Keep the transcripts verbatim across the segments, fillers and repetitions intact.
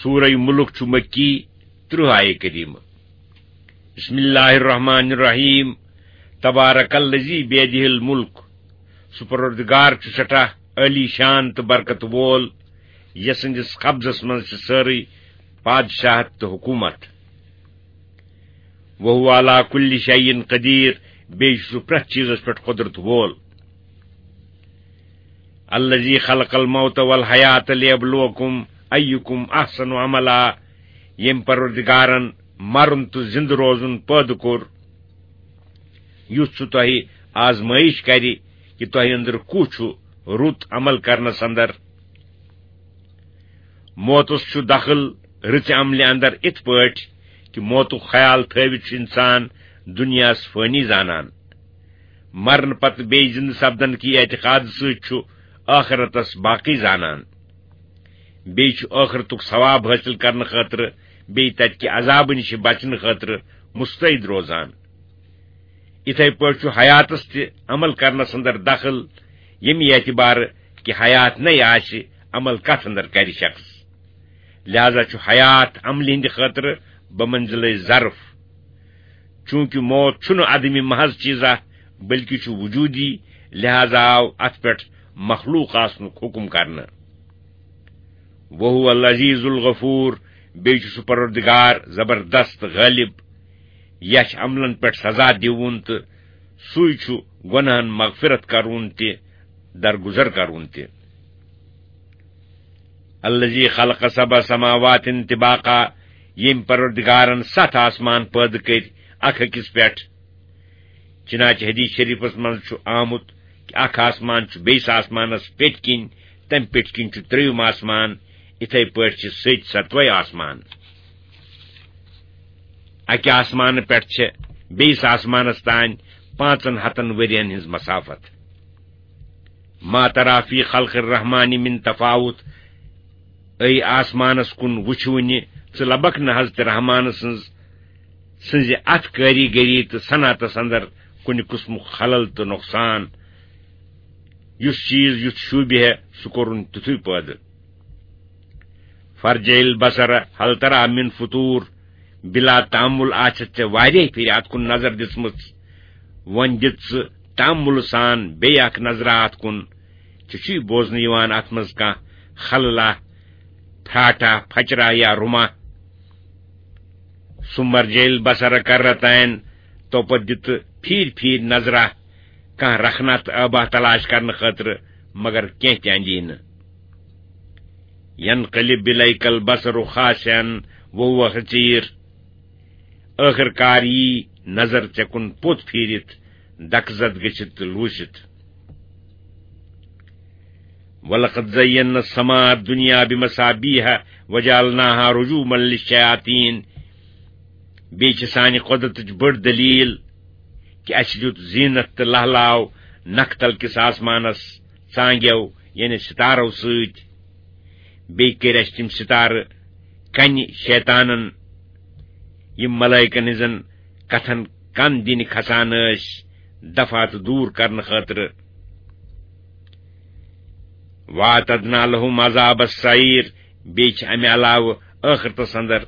سورہ ملک چھُ مکی، ترٕہ آیہِ کریمہ۔ بسم اللہ الرحمن الرحیم۔ تبارک الذی بیدہ الملک۔ سُہ پروردگار چھُ سٮ۪ٹھاہ عالی شان تہٕ برکت وول، یَس سٕنٛدِس قبضس منٛز چھِ سٲرٕے پادشاہت تہٕ حکومت۔ وہو علی کل شیء قدیر، بیٚیہِ چھُ سُہ پرٛٮ۪تھ چیٖزس پٮ۪ٹھ قۄدرت وول۔ الذی خلق الموت والحیات لیبلوکم ایکم احسن عملا، ییٚمۍ پروردگارن مرُن تہٕ زِندٕ روزُن پٲدٕ کوٚر، یُتھ سُہ تۄہہِ آزمٲیش کرِ کہِ تۄہہِ أنٛدرٕ کُس چھُ رُت عمل کرنس اندر۔ موتس چھُ دخل رٕژِ عملہِ اندر اِتھ پٲٹھۍ کہِ موتُک خیال تھٲوِتھ چھُ انسان دُنیاہس فٲنی زانان۔ مرنہٕ پتہٕ بیٚیہِ زِندٕ سپدن کہِ اعتقاد سۭتۍ چھُ ٲخرتس باقی زانان۔ بیٚیہِ چھُ ٲخرتُک ثواب حٲصِل کرنہٕ خٲطرٕ، بیٚیہِ تتہِ کہِ عذابہٕ نِش بچنہٕ خٲطرٕ مستعد روزان۔ یِتھے پٲٹھۍ چھُ حیاتس تہِ عمل کرنس اندر دخل، ییٚمہِ اعتبارٕ کہِ حیات نے آسہِ، عمل کتھ اندر کرِ شخص؟ لہذا چھُ حیات عملہِ ہٕنٛدِ خٲطرٕ بمنزلے ظرف۔ چونکہ موت چھُنہٕ عدمِ محض چیزا، بلکہ چھُ وجودی، لہذا آو اتھ پٮ۪ٹھ مخلوق آسنُک حکم کرنہٕ۔ وہو العزیز الغفور، بیٚیہِ چھُ سُہ پروردگار زبردست غٲلب، یَس چھِ عملن پٮ۪ٹھ سزا دِوُن تہٕ سُے چھُ گۄناہن مغفرت کرُن تہِ، درگزر کرُن تہِ۔ الذی خلق سبع سماوات طباقا، ییٚمۍ پروردگارن ستھ آسمان پٲدٕ کٔرۍ اکھ أکِس پٮ۪ٹھ۔ چنانچہ حدیث شریفس منٛز چھُ آمُت کہِ اکھ آسمان چھُ بیٚیِس آسمانس پٮ۪ٹھۍ کِنۍ، تمہِ پٮ۪ٹھۍ کِنۍ چھُ ترٛیٚیِم آسمان، یِتھے پٲٹھۍ چھِ سٔتۍ ستوے آسمان۔ اکہِ آسمانہٕ پٮ۪ٹھ چھِ بیٚیِس آسمانس تام پانٛژن ہتن ؤرین ہٕنٛز مسافت۔ ما ترا فی خلق الرحمن من تفاوت، اے آسمانس کُن وٕچھ وُنہِ ژٕ لبکھ نہٕ حضرت رحمان سٕنٛز، سٕنٛزِ اتھ کٲریگری تہٕ صنعتس اندر کُنہِ قٕسمُک خلل تہٕ نۄقصان۔ یُس چیٖز یُتھ شوٗبہِ ہے، سُہ کوٚرُن تیُتھُے پٲدٕ۔ فرجع البصر هل ترى من فطور، بلا تامل آسہِ ژےٚ واریاہ پھِرِ اتھ کُن نظر دِژمٕژ، وۄنۍ دِژ ژٕ تامل سان بیٚیہِ اکھ نظرا اتھ کُن، ژےٚ چھُے بوزنہٕ یِوان اتھ منٛز کانٛہہ خللا، پھراٹھا، پھچرا یا رُما؟ ثم ارجع البصر كرتين، توپتہٕ دِ ژٕ پھیٖرۍ پھیٖرۍ نظرا کانٛہہ رخنہ تہٕ ٲبہ تلاش کرنہٕ خٲطرٕ، مگر کینٛہہ تہِ اندی نہٕ۔ ينقلب إليك البصر خاسئا وهو حسير، ٲخٕر کار یی نظر ژےٚ کُن پوٚت پھیٖرِتھ، دکہٕ زد گٔژھِتھ تہٕ لوٗسِتھ۔ ولقد زينا السماء الدنيا بمصابيح وجعلناها رجوما للشياطين۔ بیٚیہِ چھِ سانہِ قۄدرتٕچ بٔڑ دٔلیٖل کہِ اَسہِ دیُت زیٖنت تہٕ لہلاو نکھٕ تل کِس آسمانس ژانگیو، یعنی ستارو سۭتۍ۔ بیٚیہِ کٔرۍ اَسہِ تِم ستارٕ کنہِ شیطانن، یِم ملائکن ہٕنٛزن کتھن کن دِنہِ کھسان ٲسۍ، دفعت دوٗر کرنہٕ خٲطرٕ۔ وَأَعْتَدْنَا لَهُمْ عَذَابَ السَّعِيرِ، بیٚیہِ چھِ اَمہِ علاوٕ ٲخرتس اندر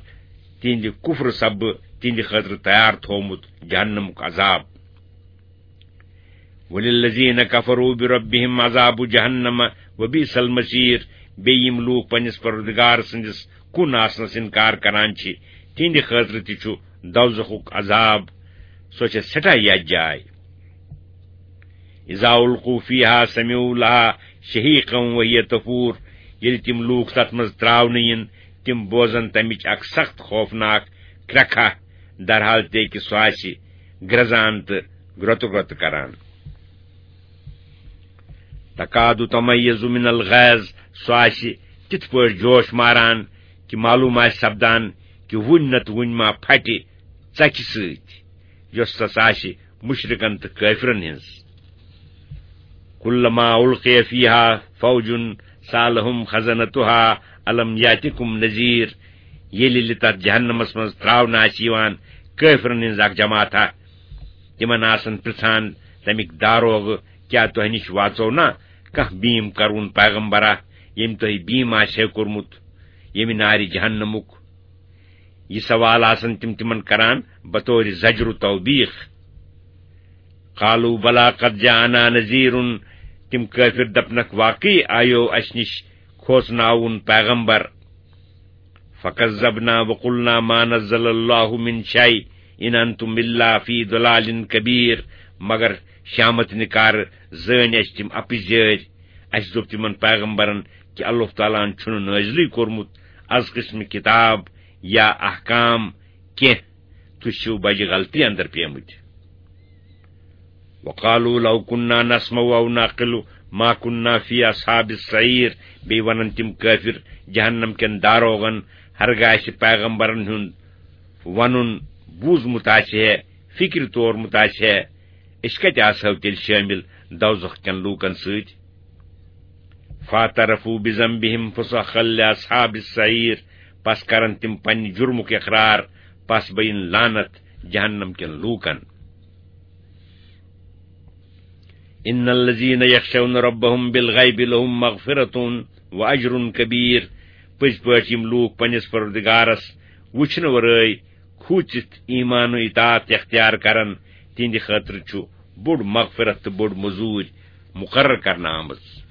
تِہنٛدِ کفرٕ سببہٕ تِہنٛدِ خٲطرٕ تیار تھوومُت جہنمُک عذاب۔ وَلِلَّذِينَ كَفَرُوا بِرَبِّهِمْ عَذَابُ جَهَنَّمَ وَبِئْسَ الْمَصِيرُ، بیٚیہِ یِم لوٗکھ پننِس پروردگار سٕنٛدِس کُن آسنس انکار کران چھِ، تِہنٛدِ خٲطرٕ تہِ چھُ دوزخُک عذاب، سۄ چھےٚ سٮ۪ٹھاہ یتھ جاے۔ اذا القوا فیہا سمعوا لہا شہیقا وہی تفور، ییٚلہِ تِم لوٗکھ تتھ منٛز ترٛاونہٕ یِن، تِم بوزن تمِچ اکھ سخت خوفناک کرٛکھا، درحال تہِ کہِ سُہ آسہِ گرٛزان تہٕ گرٛۄتہٕ گرٛۄتہٕ کران۔ تکاد تمیز من الغیظ، سُہ آسہِ تِتھ پٲٹھۍ جوش ماران کہِ معلوم آسہِ سپدان کہِ وُنۍ نتہٕ وُنۍ ما پھٹہِ ژکہِ سۭتۍ، یۄس تس آسہِ مشرکن تہٕ کٲفرن ہٕنٛز۔ کلما القی فیہا فوج سألہم خزنتہا الم یاتکم نذیر، ییٚلہِ ییٚلہِ تتھ جہنمس منٛز ترٛاونہٕ آسہِ یِوان کٲفرن ہٕنٛز اکھ جماعتھا، تِمن آسن پرژھان تمیِکۍ داروغ، کیٛاہ تۄہہِ نِش واژو نا کانٛہہ بیٖم کرون پیغمبرا، ییٚمۍ تۄہہِ بیٖم آسہِ ہے کوٚرمُت؟ ییٚمہِ نارِ جہنمُک۔ یہِ سوال آسن تِم تِمن کران بطور زجر و توبیخ۔ قالوا بلى قد جاءنا نذير، تِم کٲفِر دپنکھ، واقعی آیو اسہِ نِش کھوژناوُن پیغمبر۔ فكذبنا وقلنا ما نزل الله من شيء إن أنتم إلا في ضلال كبير، مگر شامت نکار زٲنۍ اسہِ تِم اپٕزۍ۔ اسہِ دوٚپ تِمن پیغمبرن کہِ اللہ تعالیٰ ہن چھُنہٕ نٲزلٕے کوٚرمُت از قٕسمہِ کتاب یا احکام کینٛہہ، تُہۍ چھِو بجہِ غلطی اندر پیمٕتۍ۔ وقالوا لو كنا نسمع أو نعقل ما كنا في أصحاب السعير، بیٚیہِ ونن تِم کٲفِر جہنم کٮ۪ن داروغن، ہرگاہ اسہِ پیغمبرن ہُنٛد ونُن بوٗزمُت آسہِ ہے، فکرِ تورمُت آسہِ ہے، أسۍ کتہِ آسہو تیٚلہِ شٲمِل دوزخ کٮ۪ن لوٗکن سۭتۍ؟ فاعترفوا بذنبهم فسحقا لأصحاب السعير، پس کرن تِم پننہِ جُرمُک اقرار، پس بین لعنت جہنم کٮ۪ن لوٗکن۔ إن الذين يخشون ربهم بالغيب لهم مغفرة وأجر كبير، پٔزۍ پٲٹھۍ یِم لوٗکھ پننِس پروردگارس وٕچھنہٕ ورٲے کھوٗژِتھ ایمان و اطاعت اختیار کرن، تِہنٛدِ خٲطرٕ چھُ بوٚڑ مغفرت تہٕ بٔڑ مٔزوٗرۍ مُقرر کرنہٕ آمٕژ۔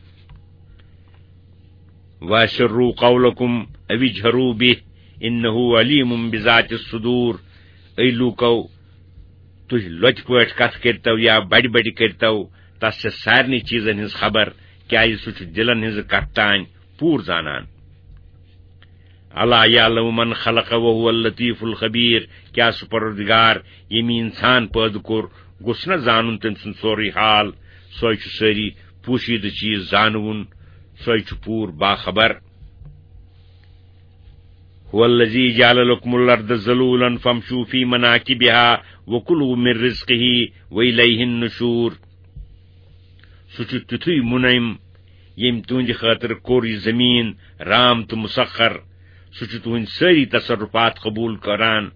وأسروا قولكم أو اجهروا به إنه عليم بذات الصدور۔ اے لوٗکو، تُہۍ لۄتہِ پٲٹھۍ کتھ کٔرۍتو یا بڑِ بڑِ کٔرۍتو، تس چھےٚ سارنٕے چیٖزن ہٕنٛز خبر، کیازِ سُہ چھُ دِلن ہٕنٛزٕ کتھٕ تام پوٗرٕ زانان۔ ألا يعلم من خلق وهو اللطيف الخبير، کیٛاہ سُہ پروردگار ییٚمۍ انسان پٲدٕ کوٚر، گوٚژھ نہ زانُن تٔمۍ سُنٛد سورُے حال؟ سُے چھُ سٲری پوشیدٕ چیٖز زانوُن، سُے چھُ پوٗرٕ باخبر۔ هو الذي جعل لكم الأرض ذلولا فامشوا في مناكبها وكلوا من رزقه وإليه النشور۔ سُہ چھُ تیُتھُے مُنعِم، ییٚمۍ تُہنٛدِ خٲطرٕ کوٚر یہِ زٔمیٖن رام تہٕ مُسخر۔ سُہ چھُ تُہنٛدۍ سٲری تصرفات قبوٗل کران۔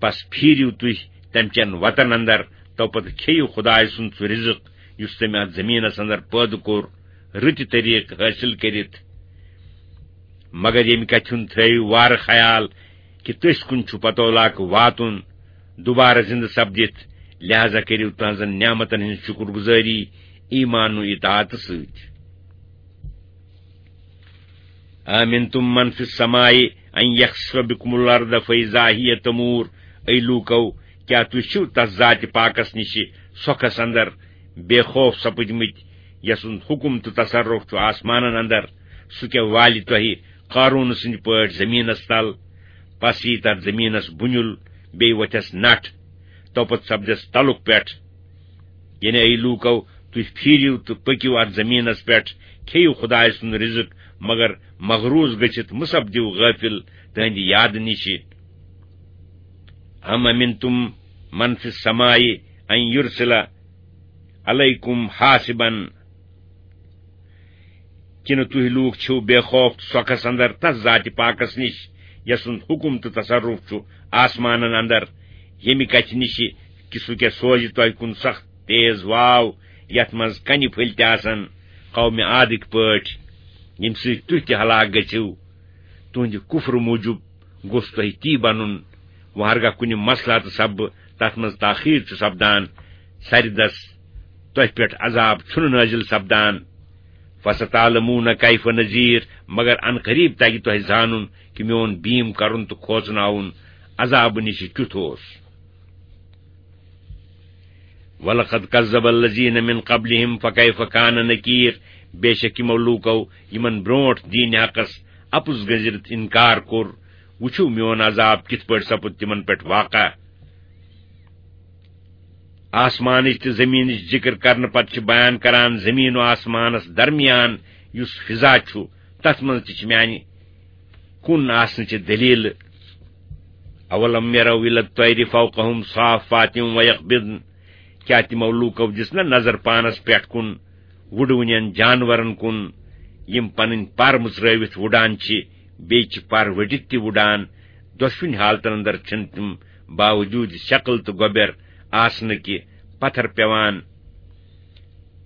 پس پھیٖرِو تُہۍ تَمہِ چٮ۪ن وَتَن اندر، تو پتہٕ کھیٚیِو خۄداے سُنٛد سُہ رِزق یُس تٔمۍ اَتھ زٔمیٖنَس اندر پٲدٕ کوٚر، رٕتہِ طریٖقہٕ حٲصِل کٔرِتھ۔ مگر ییٚمہِ کَتھِ ہُنٛد تھٲیِو وارٕ خیال کہِ تٔسۍ کُن چھُ پتولاک واتُن، دوبارٕ زِندٕ سپدِتھ، لہذا کٔرِو تہنٛزن نعمتن ہٕنٛز شُکر گُزٲری ایمان و اطاعتہٕ سۭتۍ۔ أأمنتم من في السماء أن يخسف بكم الأرض فإذا هي تمور۔ اے لوٗکو، کیٛاہ تُہۍ چھِو تس ذاتِ پاکس نِشہِ سۄکھس اندر بے خوف سپٕدمٕتۍ، یسُنٛد حُکم تہٕ تصرف چھُ آسمانن اندر؟ سُہ کیٛاہ والہِ تۄہہِ قارون سٕنٛدِ پٲٹھۍ زٔمیٖنس تل؟ پس یی تتھ زٔمیٖنس بُنیُل، بیٚیہِ وۄتھٮ۪س نٹھ، توپتہٕ سپدٮ۪س تلُک پٮ۪ٹھ۔ یعنی، اے لوٗکو، تُہۍ پھیٖرِو تہٕ پٔکِو اَتھ زٔمیٖنَس پٮ۪ٹھ، کھیٚیِو خۄدایہِ سُنٛد رِزق، مگر مغروٗض گٔژھِتھ مہٕ سپدِو غٲفِل تٕہٕنٛدِ یادٕ نِشہِ۔ أم أمنتم من في السماء أن يرسل عليكم حاصبا۔ کِنہٕ تُہۍ لوٗکھ چھِو بے خوف تہٕ سۄکھس اندر تس ذاتِ پاکس نِش، یسُنٛد حُکم تہٕ تصرف چھُ آسمانن اندر، ییٚمہِ کتھِ نِشہِ کہِ سُہ کیٛاہ سوزِ تۄہہِ کُن سخت تیز واو، یتھ منٛز کنہِ پھٔلۍ تہِ آسن، قومِ عادٕکۍ پٲٹھۍ، ییٚمہِ سۭتۍ تُہۍ تہِ ہلاک گٔژھِو۔ تُہنٛدِ کُفرٕ موٗجوٗب گوٚژھ تۄہہِ تی بنُن۔ وۄنۍ ہرگاہ کُنہِ مسلحتہٕ سببہٕ تتھ منٛز تاخیر چھُ سپدان، سرِ دس تۄہہِ پٮ۪ٹھ عذاب چھُنہٕ نٲزِل سپدان۔ فستعلمون كيف نذير، مگر ان قریب تگہِ تۄہہِ زانُن کہِ میون بیٖم کرُن تہٕ کھوژناوُن عذابہٕ نِش کیُتھ اوس۔ ولقد كذب الذين من قبلهم فكيف كان نكير، بے شک یِمو لوٗکو یِمن برونٛٹھ دیٖنِ حقس اپُز گٔنزِتھ انکار کوٚر، وٕچھِو میون عذاب کِتھ پٲٹھۍ سپُد تِمن پٮ۪ٹھ واقع۔ آسمانٕچ تہٕ زٔمیٖنٕچ ذِکر کرنہٕ پتہٕ چھِ بیان کران زٔمیٖن و آسمانس درمیان یُس فضا چھُ، تتھ منٛز تہِ چھِ میانہِ کُن آسنٕچہِ دٔلیٖلہٕ۔ أولم يروا إلى الطير فوقهم صافات ويقبضن، کیٛاہ تِمو لوٗکو دِژ نہ نظر پانس پٮ۪ٹھ کُن، وُڈوٕنٮ۪ن جانورن کُن، یِم پنٕنۍ پر مٕژرٲوِتھ وُڈان چھِ، بیٚیہِ چھِ پر ؤٹِتھ تہِ وُڈان؟ دۄشوٕنۍ حالتن اندر چھِنہٕ تِم باوجوٗد شکل تہٕ گۄبٮ۪ر آسنہٕ کہِ پتھر پٮ۪وان۔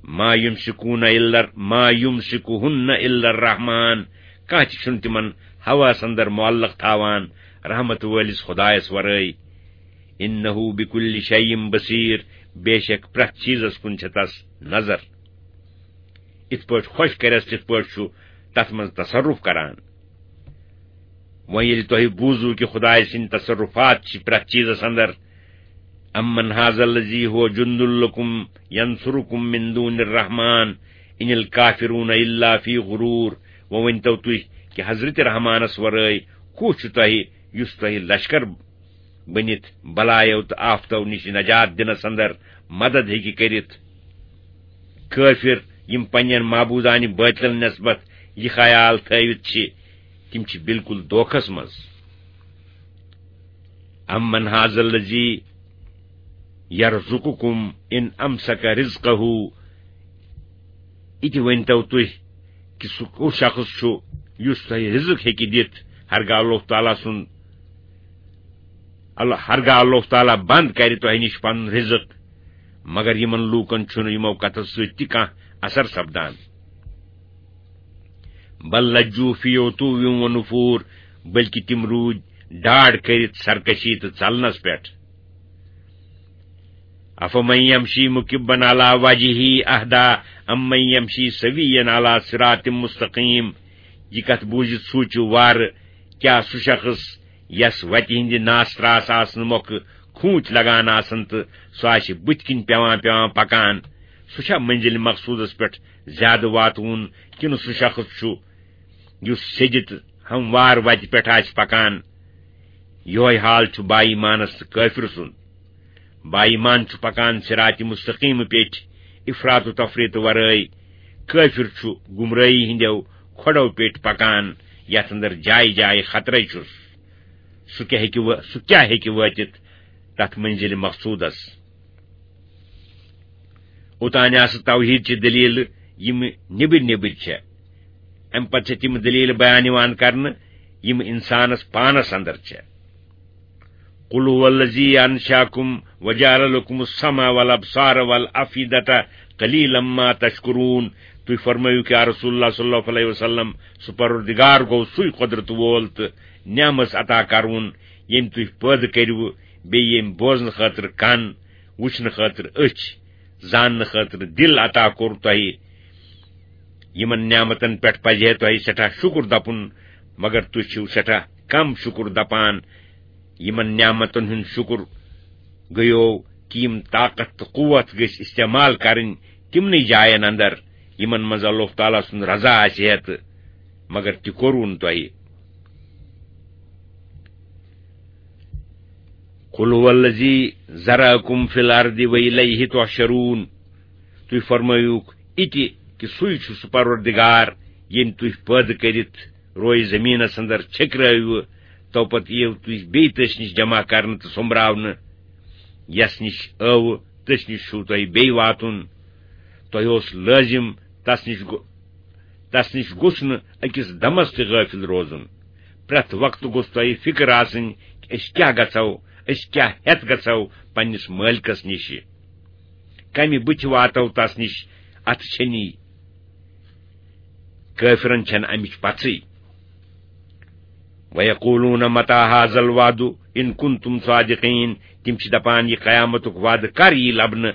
ما يمسكون إلا، ما يمسكهن إلا الرحمن، کانٛہہ تہِ چھُنہٕ تِمن ہوہَس اندر معلق تھاوان رحمت وٲلِس خدایس ورٲے۔ انہ بکل شیء بصیر، بے شک پرٛٮ۪تھ چیٖزس کُن چھےٚ تس نظر۔ یِتھ پٲٹھۍ خۄش کرٮ۪س، تِتھ پٲٹھۍ چھُ تتھ منٛز تصرف کران۔ وۄنۍ ییٚلہِ تۄہہِ بوٗزوٕ کہِ خدایہِ سٕنٛدۍ تصرفات چھِ پرٛٮ۪تھ چیٖزس اندر، امن ھذا الذی ھو جند لکم ینصرکم من دون الرحمن ان الکافرون الا فی غرور، وۄنۍ ؤنۍتو تُہۍ کہِ حضرت رحمانس ورٲے کُس چھُ تۄہہِ، یُس تۄہہِ لشکر بٔنِتھ بلایو تہٕ آفتو نِش نجات دِنس اندر مدد ہیٚکہِ کٔرِتھ؟ کٲفِر، یِم پننٮ۪ن معبوٗدانہِ بٲطلن نسبت یہِ خیال تھٲوِتھ چھِ، تِم چھِ بالکل دھوکھس منٛز۔ امن ھذا الذی یرزقکم ان امسک رزقہ، یہِ تہِ ؤنۍتو تُہۍ کہِ سُہ کُس شخص چھُ یُس تۄہہِ رزق ہیٚکہِ دِتھ، ہرگاہ اللہ تعالیٰ سُنٛد، اللہ، ہرگاہ اللہ تعالیٰ بنٛد کرِ تۄہہِ نِش پنُن رزق۔ مگر یِمن لوٗکن چھُنہٕ یِمو کتھو سۭتۍ تہِ کانٛہہ اثر سپدان۔ بل لجوا فی عتو و نفور، بلکہ تِم روٗدۍ ڈاڈ کٔرِتھ سرکشی تہٕ ژلنس پٮ۪ٹھ۔ افمن یمشی مکبا علی وجہہ اہدی امن یمشی سویا علی صراط مستقیم۔ یہِ کتھ بوٗزِتھ سوٗنٛچِو وارٕ، کیٛاہ سُہ شخص یس وتہِ ہٕنٛدِ ناس تراس آسنہٕ مۄکھٕ کھوٗنچ لگان آسن تہٕ سُہ آسہِ بُتھِ کِنۍ پٮ۪وان پٮ۪وان پکان، سُہ چھا منزل مقصودس پٮ۪ٹھ زیادٕ واتوُن، کِنہٕ سُہ شخص چھُ یُس سیٚدِ تہٕ ہموار وتہِ پٮ۪ٹھ آسہِ پکان؟ یِہوے حال چھُ با ایمانس تہٕ کٲفِر سُنٛد۔ با ایمان چھُ پکان صراط مستقیم پیٚٹھۍ افراط و تفریط ورٲے، کٲفِر چھُ گمرٲہی ہٕنٛدیو کھۄڈو پیٚٹھۍ پکان، یتھ اندر جایہِ جایہِ خطرے چھُس۔ سُہ کیٛاہ ہیٚکہِ وٲ-، سُہ کیٛاہ ہیٚکہِ وٲتِتھ تتھ منزل مقصودس؟ اوتانۍ آسہٕ توحیٖد چہِ دٔلیٖلہٕ، یِم نیٚبٕرۍ نیٚبٕرۍ چھےٚ۔ اَمہِ پتہٕ چھےٚ تِم دٔلیٖلہٕ بیان یِوان کرنہٕ، یِم اِنسانس پانس اندر چھےٚ۔ قل هو الذی انشأکم وجعل لکم السمع والابصار والافئدة قلیلا ما تشکرون۔ تُہۍ فرمٲیِو کہِ یا رسول اللہ صلی اللہ علیہ وسلم، سُہ پروردگار گوٚو سُے قۄدرت وول تہٕ نعمژ عطا کرون، ییٚمۍ تُہۍ پٲدٕ کٔرِوٕ، بیٚیہِ ییٚمۍ بوزنہٕ خٲطرٕ کن، وٕچھنہٕ خٲطرٕ أچھ، زاننہٕ خٲطرٕ دِل عطا کوٚر تۄہہِ۔ یِمن نعمتن پٮ۪ٹھ پزِ ہے تۄہہِ سٮ۪ٹھاہ شُکُر دپُن، مگر تُہۍ چھِو سٮ۪ٹھاہ کم شُکُر دپان۔ یِمن نعمتن ہُنٛد شُکُر گٔیو کہِ یِم طاقت تہٕ قوت گٔژھۍ استعمال کرٕنۍ تِمنٕے جاین اندر، یِمن منٛز اللہ تعالیٰ سُنٛد رضا آسہِ ہے تہٕ، مگر تہِ کوٚروُن تۄہہِ۔ قل هو الذی ذرأکم فی الارض و الیہ تحشرون۔ تُہۍ فرمٲیِوکھ یہِ تہِ کہِ سُے چھُ سُہ پروردگار، ییٚمۍ تُہۍ پٲدٕ کٔرِتھ روے زٔمیٖنس اندر چھٔکرٲوِوٕ، تو پتہٕ یِیِو تُہۍ بیٚیہِ تٔسۍ نِش جمع کرنہٕ تہٕ سوٚمبراونہٕ۔ یس نِش ٲوٕ، تٔسۍ نِش چھُو تۄہہِ بیٚیہِ واتُن۔ تۄہہِ اوس لٲزِم تس نِش گو-، تس نِش گوٚژھ نہٕ أکِس دمس تہِ غٲفِل روزُن۔ پرٛٮ۪تھ وقتہٕ گوٚژھ تۄہہِ فِکر آسٕنۍ کہِ أسۍ کیٛاہ گژھو، أسۍ کیٛاہ ہٮ۪تھ گژھو پننِس مٲلکس نِشہِ۔ کمہِ بُتھِ واتو تس نِش، اتھٕ چھنی۔ کٲفرن چھنہٕ امِچ پژھٕے۔ وَيَقُولُونَ مَتَىٰ هَٰذَا الْوَعْدُ إِن كُنتُمْ صَادِقِينَ۔ تِم چھِ دپان، یہِ قیامتُک وعدٕ کر یی لبنہٕ،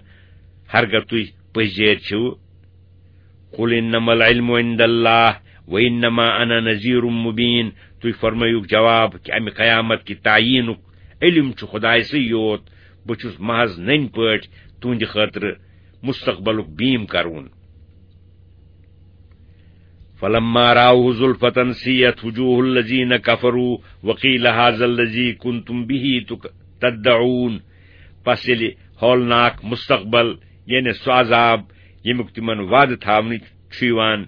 ہرگاہ تُہۍ پٔزۍ جٲرۍ چھِو؟ قُلْ إِنَّمَا الْعِلْمُ عِندَ اللَّهِ وَإِنَّمَا أَنَا نَذِيرٌ مُّبِينٌ۔ تُہۍ فرمٲیِو جواب کہِ امہِ قیامت کہِ تعیینُک علم چھُ خدایسٕے یوت، بہٕ چھُس محض نٔنۍ پٲٹھۍ تُہنٛدِ خٲطرٕ مستقبلُک بیٖم کرون۔ فلما رأوه زلفة سيئت وجوه الذين كفروا وقيل هذا الذي كنتم به تك-، تدعون۔ پس ییٚلہِ ہولناک مستقبل، یعنی سُہ عذاب، ییٚمیُک تِمن وعدٕ تھاونہٕ چھُ یِوان،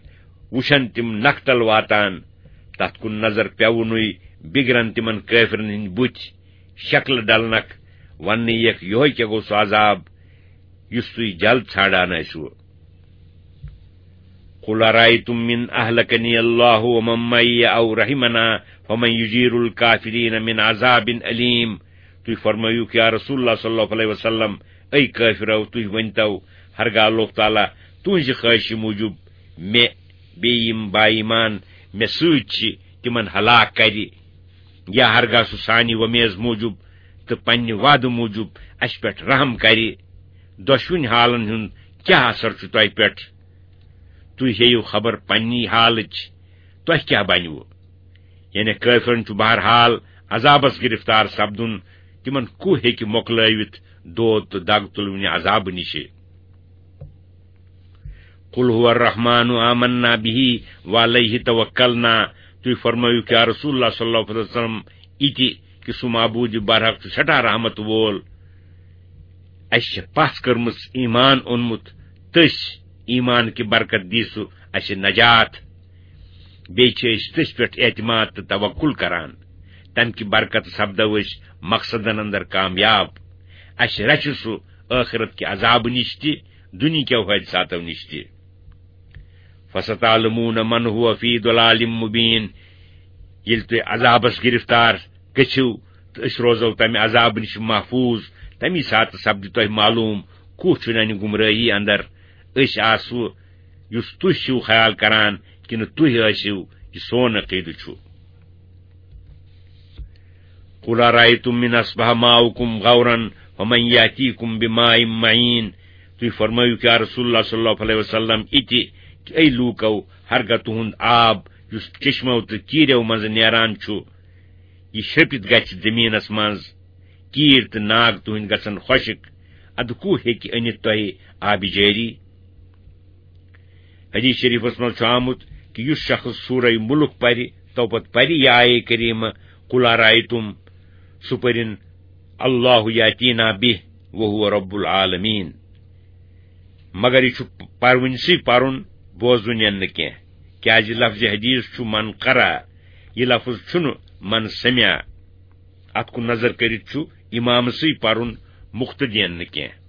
وُچھن تِم نکتل واتان، تتھ کُن نظر پیوٚونُے بِگرن تِمن کٲفرن ہٕنٛدۍ بُتھۍ، شکلہٕ ڈلنکھ، وننہٕ یِیَکھ، یِہوٚے کیٛاہ گوٚو سُہ عذاب، یُس تُہۍ جلد ژھانڈان ٲسِوٕ۔ قل أرأيتم من أهلكني الله ومن معي أو رحمنا فمن يجير الكافرين من عذاب أليم۔ تُہۍ فرمٲیِو، یا رسول اللہ صلی اللہ علیہ وسلم، اے کٲفرو، تُہۍ ؤنۍتو، ہرگاہ اللہ تعالیٰ تُہنٛزِ خٲہشہِ موٗجوٗب مےٚ بیٚیہِ یِم با ایمان مےٚ سۭتۍ چھِ، تِمن ہلاک کرِ، یا ہرگاہ سُہ سانہِ وۄمیز موٗجوٗب تہٕ پننہِ وعدٕ موٗجوٗب اسہِ پٮ۪ٹھ رحم کرِ، دۄشوٕنۍ حالن ہُنٛد کیٛاہ اثر چھُ تۄہہِ پٮ۪ٹھ؟ تُہۍ ہیٚیِو خبر پننی حالٕچ، تۄہہِ کیٛاہ بنِوٕ؟ یعنی کٲفرن چھُ بہرحال عذابس گرفتار سپدُن، تِمن کُو ہیٚکہِ مۄکلٲوِتھ دود تہٕ دگ تُلوٕنہِ عذابہٕ نِشہِ؟ قل هو الرحمن آمنا به وعليه توكلنا۔ تُہۍ فرمٲیِو کیا رسول اللہ صلی اللہ علیہ وسلم یہِ تہِ کہِ سُہ معبوٗد برحق چھُ سٮ۪ٹھاہ رحمت وول۔ اَسہِ چھِ پَژھ کٔرمٕژ، ایمان اوٚنمُت تٔسۍ، ایمان کہِ برکت دی سُہ اَسہِ نجات۔ بیٚیہِ چھِ أسۍ تٔسۍ پٮ۪ٹھ اعتماد تہٕ توکل کران۔ تَمہِ کہِ برکت سپدو أسۍ مقصدن اندر کامیاب۔ اَسہِ رچھِ سُہ ٲخرت کہِ عذابہٕ نِش تہِ، دُنیہکیو حٲدثاتو نِش تہِ۔ فستعلمون من هو في ضلال مبين۔ ییٚلہِ تُہۍ عذابس گرفتار گٔژھِو تہٕ أسۍ روزو تمہِ عذابہٕ نِش محفوظ، تمی ساتہٕ سپدِ تۄہہِ معلوم کُس چھُ ننہِ گمرٲہی اندر۔ أسۍ آسو یُس تُہۍ چھِو خیال کران کِنہٕ تُہۍ ٲسِو، یہِ سون عقیدٕ چھُ۔ قل أرأيتم من أصبح ماؤكم غورا فمن يأتيكم بماء معين۔ تُہۍ فرمٲیِو کیا رسول اللہ صلی اللہ علیہ وسلم یہِ تہِ کہِ اے لوٗکو، ہرگاہ تُہُنٛد آب یُس چشمو تہٕ کیٖرو منٛزٕ نیران چھُ، یہِ شرٛپِتھ گژھِ زٔمیٖنس منٛز، کیٖرۍ تہٕ ناگ تُہٕنٛدۍ گژھن خۄشک، ادٕ کُو ہیٚکہِ أنِتھ تۄہہِ آبِ جٲری؟ حدیث شریفس منٛز چھُ آمُت کہِ یُس شخص سورہ ملک پرِ، تو پتہٕ پرِ یہِ آیے کریمہ، قل أرأيتم، سُہ پٔرِن، الله يأتينا به وهو رب العالمين۔ مگر یہِ چھُ پرونسٕے پرُن، بوزُن یِن نہٕ کینٛہہ، کیازِ لفظ حدیث چھُ من قرأ، یہِ لفظ چھُنہٕ من سمع۔ اتھ کُن نظر کٔرِتھ چھُ امامسٕے پرُن، مقتدین نہٕ کینٛہہ۔